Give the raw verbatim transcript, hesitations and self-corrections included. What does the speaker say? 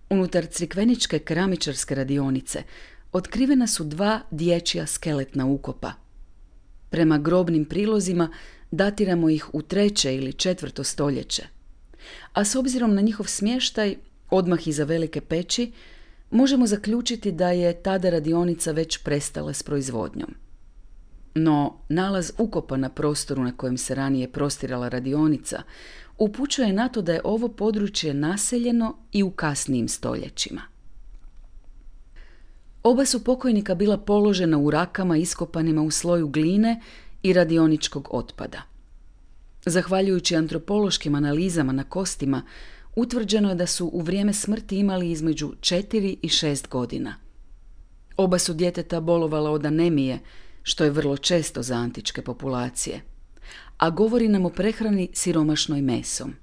Unutar crikveničke keramičarske radionice otkrivena su dva dječja skeletna ukopa. Prema grobnim prilozima datiramo ih u treće ili četvrto stoljeće, a s obzirom na njihov smještaj, odmah iza velike peći, možemo zaključiti da je tada radionica već prestala s proizvodnjom. No, nalaz ukopa na prostoru na kojem se ranije prostirala radionica upućuje na to da je ovo područje naseljeno i u kasnijim stoljećima. Oba su pokojnika bila položena u rakama iskopanima u sloju gline i radioničkog otpada. Zahvaljujući antropološkim analizama na kostima, utvrđeno je da su u vrijeme smrti imali između četiri i šest godina. Oba su djeteta bolovala od anemije, što je vrlo često za antičke populacije, a govori nam o prehrani siromašnoj mesom.